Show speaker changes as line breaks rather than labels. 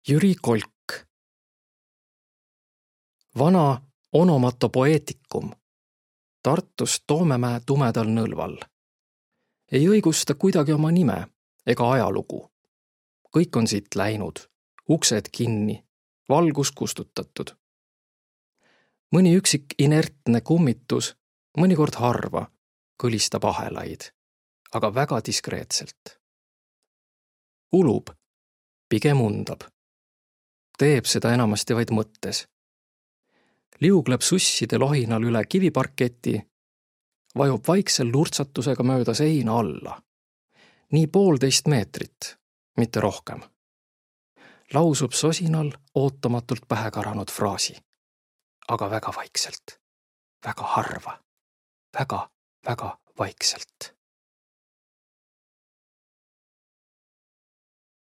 Jüri Kolk. Vana onomatopoeetikum Tartus Toomemäe tumedal nõlval. Ei õigusta kuidagi oma nime ega ajalugu. Kõik on siit läinud, uksed kinni, valgus kustutatud. Mõni üksik inertne kummitus, mõnikord harva, kõlistab ahelaid, aga väga diskreetselt. Ulub, pigem undab. Teeb seda enamasti vaid mõttes. Liugleb susside lohinal üle kiviparketi, vajub vaikse lurtsatusega mööda seina alla. Nii 1,5 meetrit, mitte rohkem. Lausub sosinal ootamatult pähe karanud fraasi. Aga väga vaikselt, väga harva, väga vaikselt.